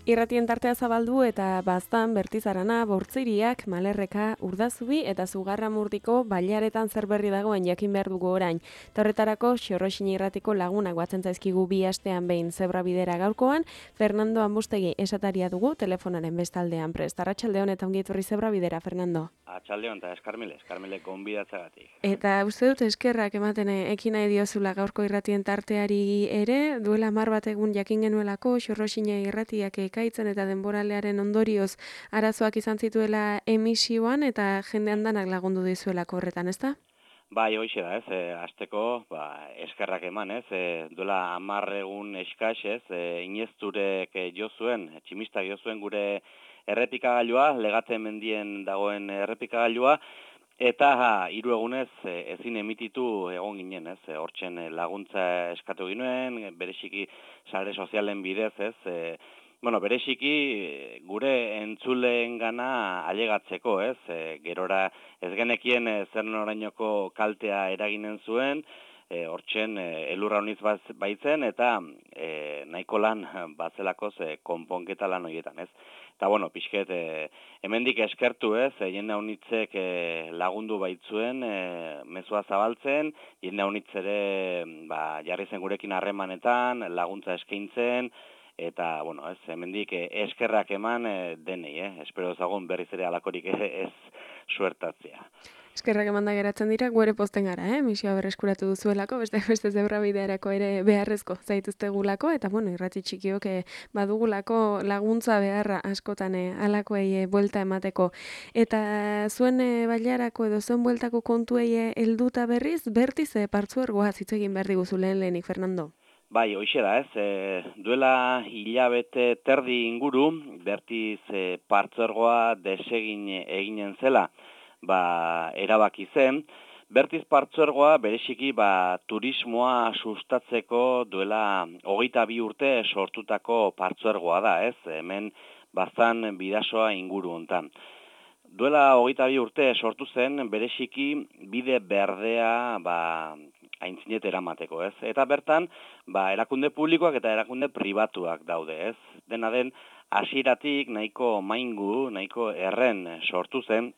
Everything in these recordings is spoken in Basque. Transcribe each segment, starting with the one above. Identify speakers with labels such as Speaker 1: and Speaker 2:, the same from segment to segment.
Speaker 1: Irratien tartea zabaldu eta Baztan, Bertizarana, Bortziriak, Malerreka, Urdazubi eta Zugarramurdiko bailaretan zer berri dagoen jakin behar dugu orain. Horretarako Xorroxini irratiko lagunak batzen zaizkigu bi astean behin zebra bidera gaurkoan, Fernando Ambustegi esataria dugu telefonaren bestaldean prest. Arratsaldeon eta ongi etorri zebra bidera, Fernando.
Speaker 2: Arratsaldeon eta eskarmile gonbidatzagatik.
Speaker 1: Eta uste dut eskerrak ematen ekin nahi diozula gaurko irratien tarteari ere, duela 10 bat egun jakin genuelako Xorroxini irratiak ekaitzen eta denboralearen ondorioz arazoak izan zituela emisioan eta jende handanak lagundu dizuelako horretan, ezta?
Speaker 2: Bai, hoixe da, hasteko, eskerrak eman, duela 10 egun eskas, Inezturek jo zuen, tximistak jo zuen gure errepikagailua, Legate mendien dagoen errepikagailua, eta 3 egunez ezin emititu egon ginen, hortzen laguntza eskatu ginuen, bereziki sare sozialen bidez, bereziki gure entzuleengana ailegatzeko, gerora ez genekien zer norainoko kaltea eraginen zuen, hortzen elurra honiz baitzen eta nahiko lan batzelakoz konponketa lan horietan, Eta pixket hemendik eskertu, jende honitzek lagundu baitzuen mezua zabaltzen, jende honitz ere jarri zen gurekin harremanetan, laguntza eskaintzen, eta, hemendik eskerrak eman denei, espero ezagun berriz ere alakorik ez suertatzea.
Speaker 1: Eskerrak emanda geratzen dira, guere posten gara, misioa berreskuratu duzuelako, beste zebra bidearako ere beharrezko zaituztegulako, eta irrati txikiok badugulako laguntza beharra askotan alakoei buelta emateko. Eta zuen bailarako edo zuen bueltako kontuei helduta berriz, Bertiz partzuergoa hitz egin behar diguzu lehenik, Fernando.
Speaker 2: Bai, hoixe da, duela hilabete terdi inguru, Bertiz partzuergoa desegin eginen zela, erabaki zen. Bertiz partzuergoa bereziki turismoa sustatzeko duela 22 urte sortutako partzuergoa da, hemen Baztan Bidasoa inguru hontan. Duela 22 urte sortu zen bereziki bide berdea aintzinet eramateko, Eta bertan, erakunde publikoak eta erakunde pribatuak daude, Dena den, hasieratik nahiko maingu, nahiko erren sortu zen,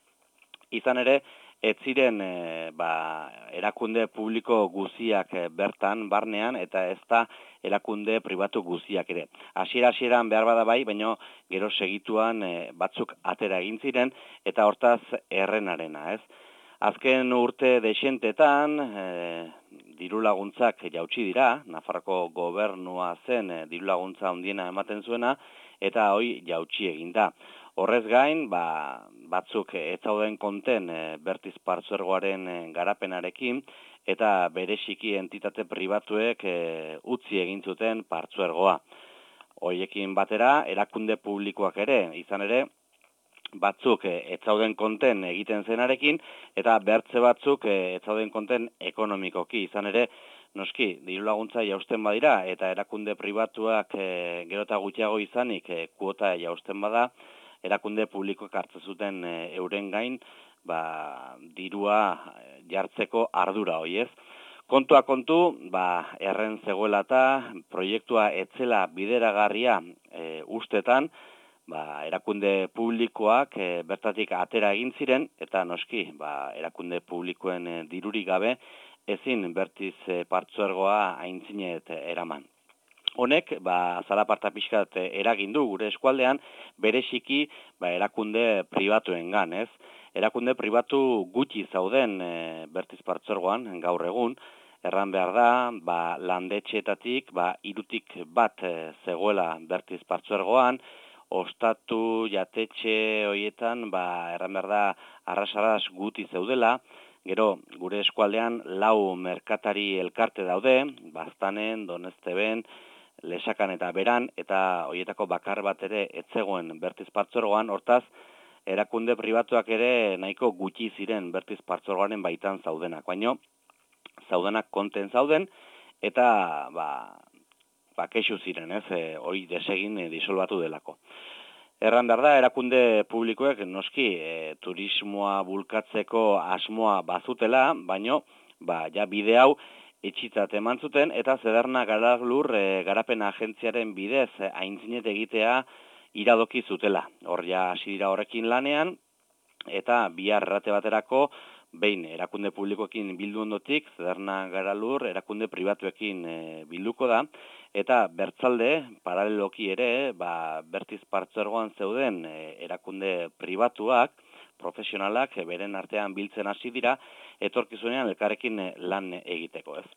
Speaker 2: izan ere, ez ziren erakunde publiko guziak bertan, barnean, eta ez da erakunde pribatu guziak ere. Hasieran behar bada bai, baina gero segituan batzuk atera egin ziren, eta hortaz errenarena, Azken urte desentetan, diru laguntzak jautsi dira, Nafarroko gobernua zen diru laguntza handiena ematen zuena, eta hoi jautsi egin da. Horrez gain, batzuk ez zauden konten Bertiz partzuergoaren garapenarekin, eta bereziki entitate pribatuek utzi egin zuten partzuergoa. Hoiekin batera, erakunde publikoak ere, izan ere, batzuk ez zauden konten egiten zenarekin, eta bertze batzuk ez zauden konten ekonomikoki, izan ere, noski, diru laguntza jausten badira, eta erakunde pribatuak gero eta gutxiago izanik kuota jausten bada, erakunde publikoak hartzen zuten euren gain, dirua jartzeko ardura hoi, Kontua kontu, erren zegoela eta proiektua etzela bideragarria ustetan, erakunde publikoak bertatik atera egin ziren, eta noski, erakunde publikoen dirurik gabe, ezin Bertiz partzuergoa aintzinet eraman. Honek, zalaparta pixkat eragin du gure eskualdean, bereziki erakunde pribatuengan, Erakunde pribatu gutxi zauden Bertiz partzuergoan gaur egun, erran behar da, landetxeetatik, 3tik bat zegoela Bertiz partzuergoan, ostatu jatetxe horietan, erran behar da, arras guti zeudela, gero gure eskualdean 4 merkatari elkarte daude, Baztanen, Donezteben, Lesakan eta Beran, eta horietako bakar bat ere ez zegoen Bertiz partzuergoan, hortaz, erakunde pribatuak ere nahiko gutxi ziren Bertiz partzuergoaren baitan zaudenak, baino zaudenak konten zauden, eta kexu ziren, hori desegin disolbatu delako. Erran behar da, erakunde publikoek noski turismoa bulkatzeko asmoa bazutela, baino, ja bide hau etxitzat eman zuten, eta Zederna Garaglur garapen agentziaren bidez aintzinet egitea iradoki zutela. Hor ja hasi dira horrekin lanean, eta bihar errate baterako, behin erakunde publikoekin bildu ondotik, Zederna Garalur erakunde pribatuekin bilduko da, eta bertzalde, paraleloki ere, Bertiz partzuergoan zeuden erakunde pribatuak, profesionalak, beren artean biltzen hasi dira, etorkizunean elkarrekin lan egiteko, ez.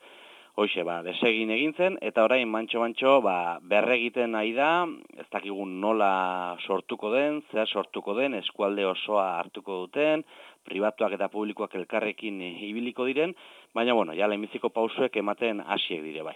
Speaker 2: Hoxe, desegin egin zen, eta orain mantxo-mantxo berregiten nahi da, ez dakigun nola sortuko den, zea sortuko den, eskualde osoa hartuko duten, pribatuak eta publikoak elkarrekin ibiliko diren, baina, ja lehenbiziko pausuek ematen hasiek dire bai.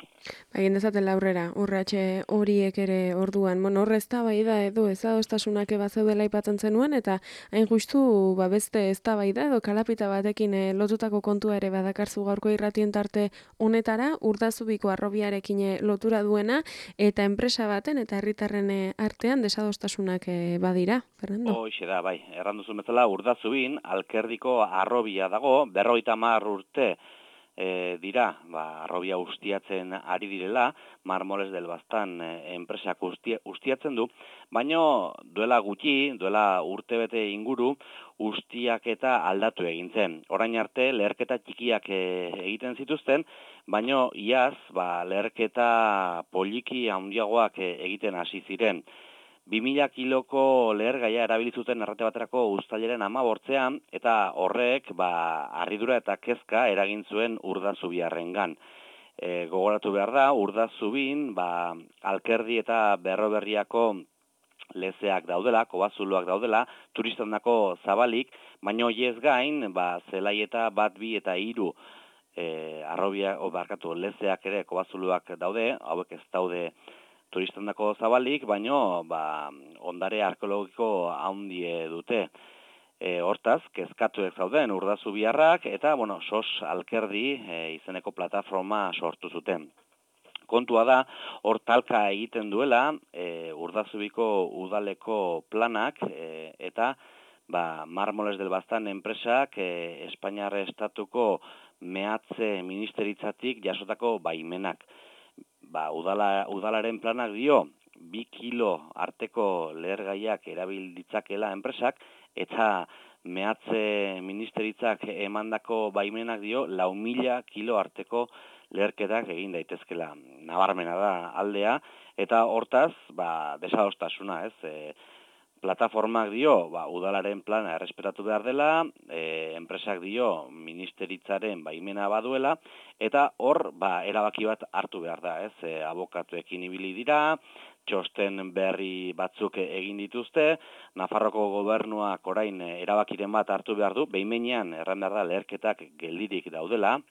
Speaker 1: Egin dezaten laurrera, urratxe horiek ere orduan, hor eztabaida edo ezadostasunak bazeudela aipatzen zenuen, eta hain justu beste eztabaida edo kalapita batekin lotutako kontua ere badakarzu gaurko irratien tarte honetara, Urdazubiko harrobiarekin lotura duena, eta enpresa baten eta herritarren artean desadostasunak badira, Fernando?
Speaker 2: Hoxe da, bai, erranduzun bezala Urdazubin, Alkerdiko harrobia dago, 50 urte dira, harrobia ustiatzen ari direla, Marmoles del Baztan enpresak ustiatzen du, baino duela gutxi, duela urtebete inguru, ustiak eta aldatu egin zen. Orain arte, leherketa txikiak egiten zituzten, baino iaz, leherketa poliki handiagoak egiten hasi ziren. 2000 kiloko lehergaia erabilizuten errate baterako uztailaren 15ean, eta horrek harridura eta kezka eragin zuen Urdazubiarrengan. Gogoratu behar da, Urdazubin, Alkerdi eta Berroberriako lezeak daudela, kobazuloak daudela, turistandako zabalik, baino hiez gain, Zelai eta 1, 2 eta 3 lezeak ere kobazuloak daude, hauek ez daude turistandako zabalik, baino ondare arkeologiko handie dute. Hortaz, kezkatuek zauden Urdazubiarrak eta, SOS Alkerdi izeneko plataforma sortu zuten. Kontua da, hor talka egiten duela Urdazubiko udaleko planak eta Marmoles del Baztan enpresak Espainiar estatuko mehatze ministeritzatik jasotako baimenak. Udalaren planak dio, 2 kilo arteko lehergaiak erabil ditzakela enpresak, eta mehatze ministeritzak emandako baimenak dio, 4.000 kilo arteko leherketak egin daitezkela. Nabarmena da aldea, eta hortaz, desadostasuna, ez? Plataformak dio, udalaren plana errespetatu behar dela, enpresak dio ministeritzaren baimena baduela, eta hor, erabaki bat hartu behar da, ez? Abokatuekin ibili dira, txosten berri batzuk egin dituzte, Nafarroko gobernuak orain erabakiren bat hartu behar du, behin-behinean erran behar da leherketak geldirik daudela,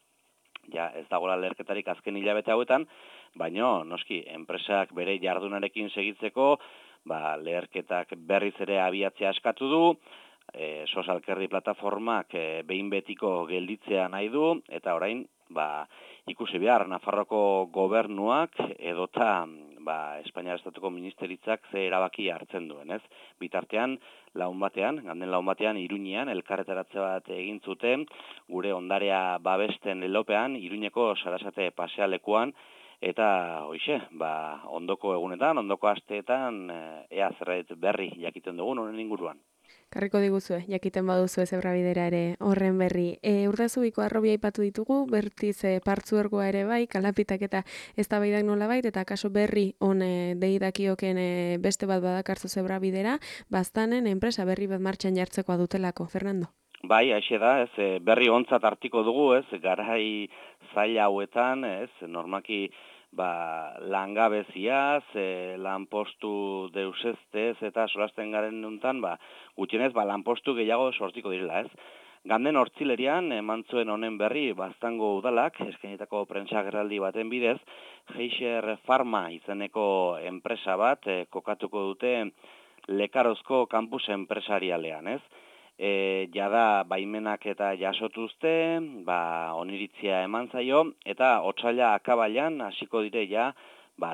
Speaker 2: ja ez dagoela leherketarik azken hilabete hauetan, baino, noski, enpresak bere jardunarekin segitzeko, leherketak berriz ere abiatzea eskatu du, SOS Alkerdi plataformak behin betiko gelditzea nahi du, eta orain, ikusi behar, Nafarroko gobernuak edota Espainiar Estatuko Ministeritzak ze erabaki hartzen duen, ez? Bitartean, ganden laun batean, Iruñean, elkarretaratze bat egin zuten, gure ondarea babesten lelopean, Iruñeko Sarasate pasealekuan, eta hoixe, ondoko egunetan, ondoko asteetan, ea zerbait berri jakiten dugun honen inguruan.
Speaker 1: Karriko diguzue, jakiten baduzu Zebrabidera ere horren berri. Urdazubiko harrobia aipatu ditugu, Bertiz partzuergoa ere bai, kalapitak eta eztabaidak nolabait, eta kaso berri on deidakioken beste bat badakarzu Zebrabidera, Baztanen enpresa berri bat martxan jartzekoa dutelako, Fernando?
Speaker 2: Bai, haixe da, ez, berri ontzat hartiko dugu, ez, garai zaila hauetan, ez, normaki langabeziaz, lanpostu deusestez eta solasten garen nuntan, gutxienez, lanpostu gehiago sortiko direla, ez. Ganden hortzilerian, eman zuen honen berri, Baztango udalak, eskainitako prentsagerraldi baten bidez, Geixer Pharma izeneko enpresa bat, kokatuko dute Lekarozko kampus enpresarialean, ez. Jada baimenak eta jasotuzte, oniritzia eman zaio, eta otsaila akabailan hasiko dire ja,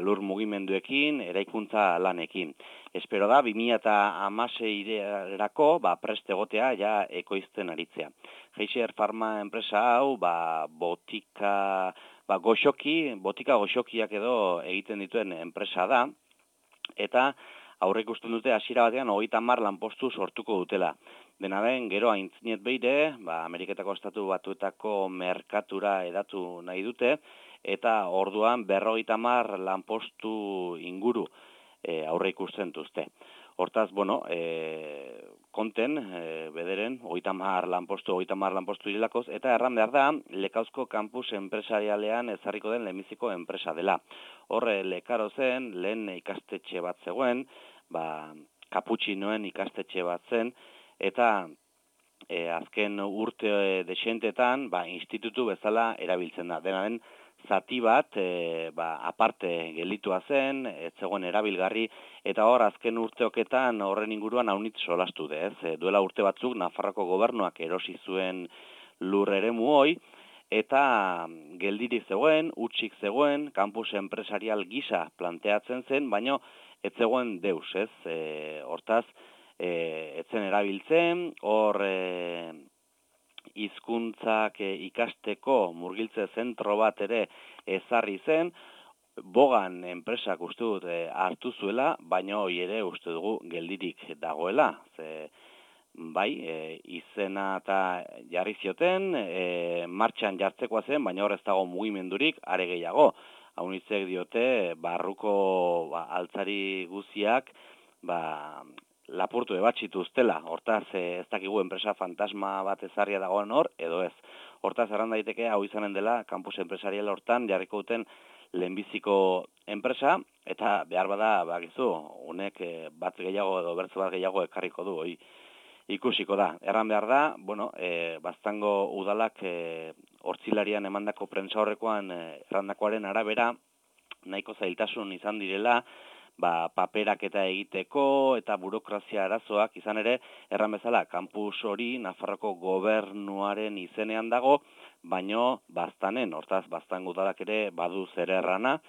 Speaker 2: lur mugimenduekin, eraikuntza lanekin. Espero da, 2016-erako, prest egotea, ja, ekoizten aritzea. Geixer Pharma enpresa hau, botika goxokiak edo egiten dituen enpresa da, eta aurre ikusten dute hasiera batean 30 lanpostu sortuko dutela. Dena den, gero aintzinet beire, Ameriketako Estatu Batuetako merkatura edatu nahi dute, eta orduan 50 lanpostu inguru aurre ikusten duzte. Hortaz, konten, bederen, 30 lanpostu direlakoz, eta erran behar da, Lekauzko kampus enpresarialean ezarriko den lehenbiziko enpresa dela. Horre, Lekaro zen, lehen ikastetxe bat zegoen, kaputxinoen ikastetxe bat zen, eta azken urte desentetan, institutu bezala erabiltzen da. Dena den, zati bat, aparte gelitua zen, ez zegoen erabilgarri, eta hor azken urteoketan horren inguruan haunitz solastu dez. Duela urte batzuk Nafarroko gobernuak erosi zuen lur eremu hoi, eta geldirik zegoen, hutsik zegoen, kampus enpresarial gisa planteatzen zen, baino ez zegoen deus, ez? Hortaz, ez zen erabiltzen, hor hizkuntzak ikasteko murgiltze zentro bat ere ezarri zen, Bogan enpresak uste dut hartu zuela, baina hori ere uste dugu geldirik dagoela. Izena eta jarri zioten, martxan jartzekoa zen, baina hor ez dago mugimendurik, are gehiago. Haunitzek diote, barruko altzari guziak, lapurtu ebatxitu ustela. Hortaz, ez dakigu enpresa fantasma bat ezarria dagoen hor, edo ez. Hortaz, erran daiteke, hau izanen dela, kampus enpresarial hortan, jarriko duten lehenbiziko enpresa, eta behar bada, honek bat gehiago edo bertze bat gehiago ekarriko du, ikusiko da. Erran behar da, Baztango udalak hortzilarian emandako prentsa horrekoan errandakoaren arabera, nahiko zailtasun izan direla, paperak eta egiteko eta burokrazia arazoak izan ere, erran bezala, kampus hori Nafarroko gobernuaren izenean dago, baino Baztanen, hortaz Baztango udalak ere badu zer errana,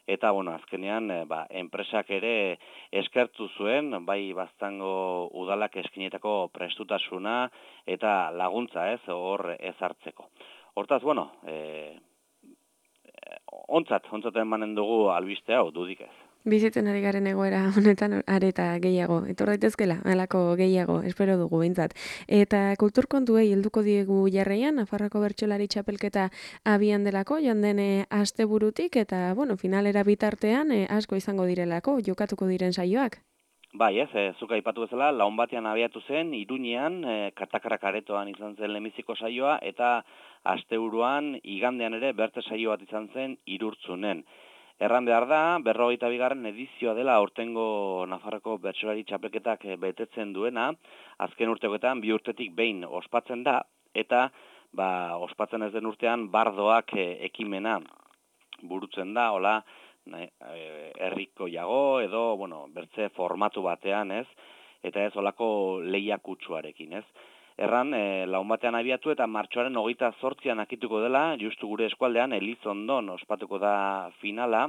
Speaker 2: eta azkenean enpresak ere eskertu zuen, bai Baztango udalak eskinetako prestutasuna eta laguntza ez, hor ezartzeko. Hortaz, ontzat emanen dugu albiste hau, dudik ez.
Speaker 1: Bizitzen ari garen egoera honetan areta gehiago, etor daitezkela, halako gehiago, espero dugu behintzat. Eta kulturkontuei helduko diegu jarraian, Nafarroko bertsolari txapelketa abian delako, joan den asteburutik, eta, finalera bitartean asko izango direlako, jokatuko diren saioak.
Speaker 2: Bai, zuk aipatu bezala, laun batean abiatu zen, Iruñean, Katakarak aretoan izan zen lehenbiziko saioa, eta asteburuan igandean ere berte saio bat izan zen Irurtzunen. Erran behar da, 42. edizioa dela aurtengo Nafarroko bertsolari txapelketak betetzen duena, azken urteoketan 2 urtetik behin ospatzen da, eta ospatzen ez den urtean bardoak ekimena burutzen da, hola, herriko jago edo, bertze formatu batean, ez, eta ez olako lehiakutsuarekin, ez. Erran, laun batean abiatu eta martxoaren 28an akituko dela, justu gure eskualdean, Elizondon ospatuko da finala,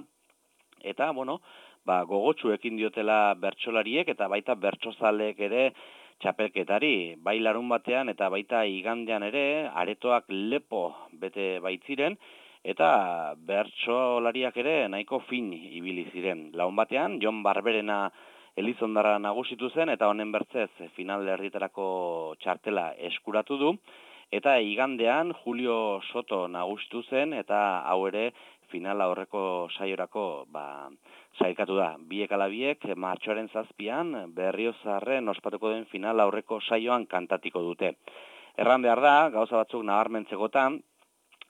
Speaker 2: eta, gogotsu ekin diotela bertsolariek eta baita bertsozaleek ere txapelketari, bai larun batean eta baita igandean ere, aretoak lepo bete baitziren, eta bertsolariak ere nahiko fin ibili ziren. Laun batean, Jon Barberena Elizondarra nagusitu zen, eta honen bertzez final herrietarako txartela eskuratu du, eta igandean Julio Soto nagusitu zen, eta hau ere finala horreko saiorako sailkatu da. Biek ala biek, martxoaren 7an, Berriozarren ospatuko den final aurreko saioan kantatiko dute. Erran behar da, gauza batzuk nabarmentzekotan,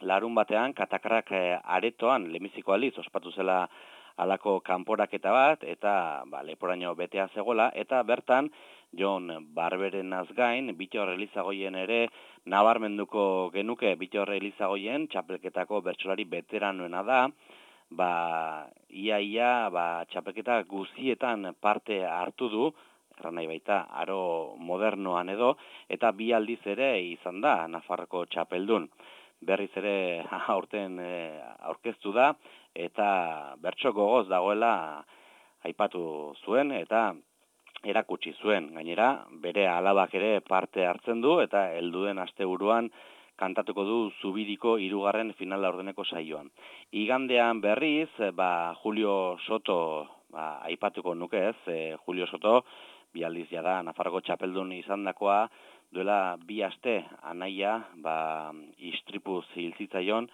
Speaker 2: larun batean, Katakarak aretoan, lehenbiziko aldiz, ospatu zela halako kanporaketa bat, eta leporaino betea zegoela, eta bertan, Jon Barberenaz gain, Bittor Elizagoien ere nabarmenduko genuke Bittor Elizagoien, txapelketako bertsolari veteranoena da, ia txapelketa guztietan parte hartu du, erran nahi baita, aro modernoan edo, eta 2 aldiz ere izan da Nafarroko txapeldun. Berriz ere aurten aurkeztu da, eta bertso gogoz dagoela aipatu zuen, eta erakutsi zuen. Gainera, bere alabak ere parte hartzen du, eta helduen asteburuan kantatuko du Zubiriko 3. final laurdeneko saioan. Igandean berriz, Julio Soto aipatuko nuke ez, Julio Soto, bi aldiz jada Nafarroko txapeldun izandakoa, duela 2 aste anaia istripuz hil zitzaion,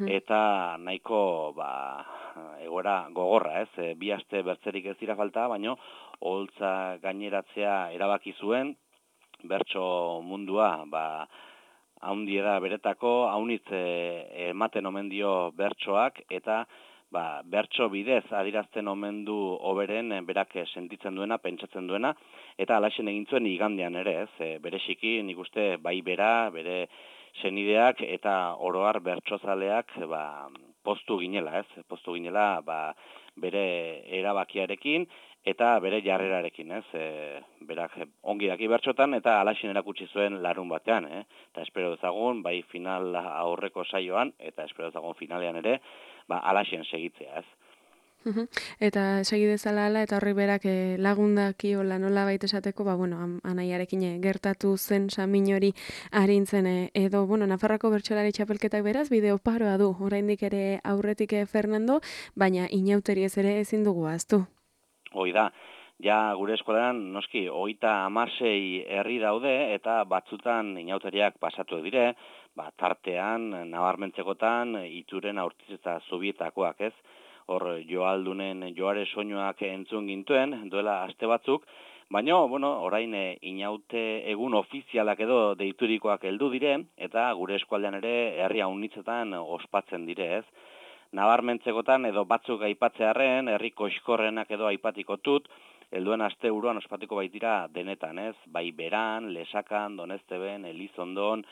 Speaker 2: eta nahiko egoera gogorra, ez? 2 aste bertzerik ez dira falta, baino oholtza gaineratzea erabaki zuen, bertso mundua haundiera beretako, haunitz ematen omen dio bertsoak, eta bertso bidez adirazten omen du hoberen berak sentitzen duena, pentsatzen duena, eta alaxen egin zuen igandean ere, ez? Bereziki nik uste bai bera, bere senideak eta oroar bertsozaleak poztu ginela, ez? Poztu ginela bere erabakiarekin eta bere jarrerarekin, ez? Berak ongi daki bertsotan eta alaxen erakutsi zuen larun batean, eta espero dezagun bai final aurreko saioan eta espero dezagun finalean ere alaxen segitzea, ez?
Speaker 1: Eta segi dezala ala, eta horri berak lagundaki hola nola baita esateko, anaiarekin gertatu zen samin hori arintzen edo, Nafarroko bertsolari txapelketak beraz, bideo paroa du, oraindik ere aurretik Fernando, baina inauteri ez ere ezin dugu ahaztu.
Speaker 2: Hoi da, ja gure eskolan noski 36 herri daude eta batzutan inauteriak pasatu dire, tartean, nabarmentzekotan, Ituren, Aurtiz eta Zubietakoak, ez? Hor Joaldunen joare soinuak entzun gintuen, duela aste batzuk, baina, orain inaute egun ofizialak edo deiturikoak heldu dire, eta gure eskualdean ere herri haunitzetan ospatzen dire, ez? Nabarmentzekotan edo batzuk aipatzearren, herri koxkorrenak edo aipatiko helduen aste buruan ospatuko baitira denetan, ez? Bai Beran, Lesakan, Donezteben, Elizondon,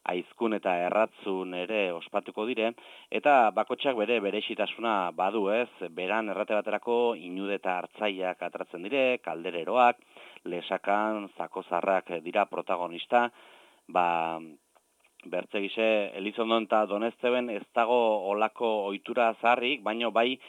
Speaker 2: Aizkun eta Erratzun ere ospatuko dire, eta bakotxak berexitasuna badu, ez? Beran errate baterako Inude eta Artzaiak atratzen dire, Kaldereroak, Lesakan, Zakozarrak dira protagonista, bertzegixe Elizondon eta Donezteben ez dago olako ohitura zaharrik, baino bai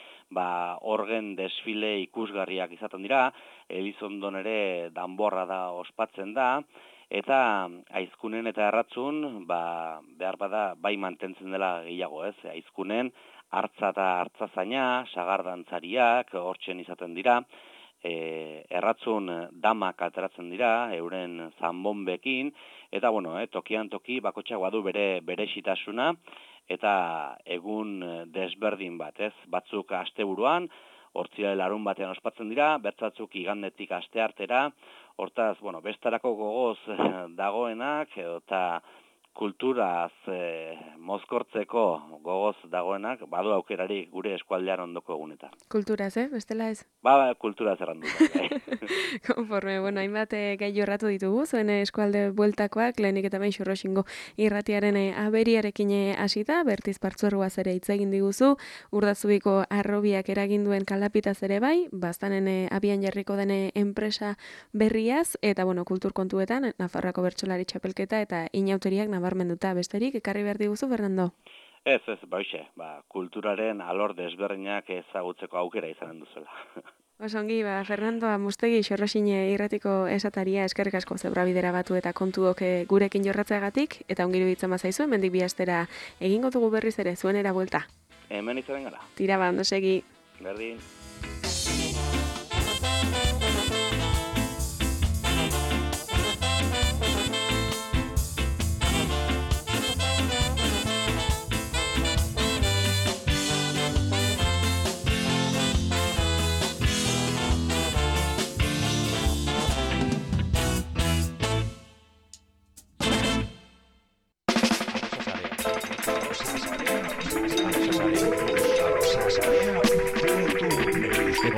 Speaker 2: orgen desfile ikusgarriak izaten dira, Elizondon ere danborra da ospatzen da, eta Aizkunen eta Erratzun behar bada bai mantentzen dela gehiago, ez? Aizkunen hartza eta hartzazaina, sagardantzariak hortzen izaten dira, Erratzun damak ateratzen dira, euren zanbonbekin, eta tokian toki bakotxak badu berexitasuna, eta egun desberdin bat, ez? Batzuk asteburuan, hortzira larun batean ospatzen dira, bertzatzuk igandetik asteartera, hortaz, bestarako gogoz dagoenak, eta kulturaz mozkortzeko gogoz dagoenak, badu aukerari gure eskualdean ondoko egunetan.
Speaker 1: Kulturaz, bestela ez?
Speaker 2: Kulturaz errandu.
Speaker 1: Konforme, hainbat gai jorratu ditugu, zuen eskualde bueltakoak, lehenik eta behin Xurroxingo irratiaren aberiarekin hasita, Bertiz Partzuergoaz ere hitz egin diguzu, Urdazubiko harrobiak eraginduen kalapitaz ere bai, bastanen abian jarriko den enpresa berriaz, eta kultur kontuetan, Nafarroako bertsolari txapelketa eta inauteriak nabarmenduta besterik, ekarri behar diguzu, Fernando?
Speaker 2: Ez, baixe, kulturaren alor desberdinak ezagutzeko aukera izanen duzuela.
Speaker 1: Osongi, Fernando Amustegi Xorroxine irratiko esataria eskerrik asko zebrabidera batu eta kontuok gurekin jorratzeagatik, eta ongiru ditzen bazaizu, hemendik 2 astera egingo dugu berriz ere, zuenera buelta.
Speaker 2: Hemen izaren gara.
Speaker 1: Tira ondo segi.
Speaker 2: Berdin.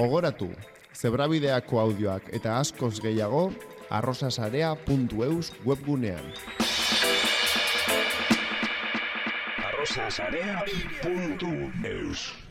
Speaker 3: Gogoratu, zebrabideako audioak eta askoz gehiago arrosasarea.eus webgunean.
Speaker 4: arrosasarea.eus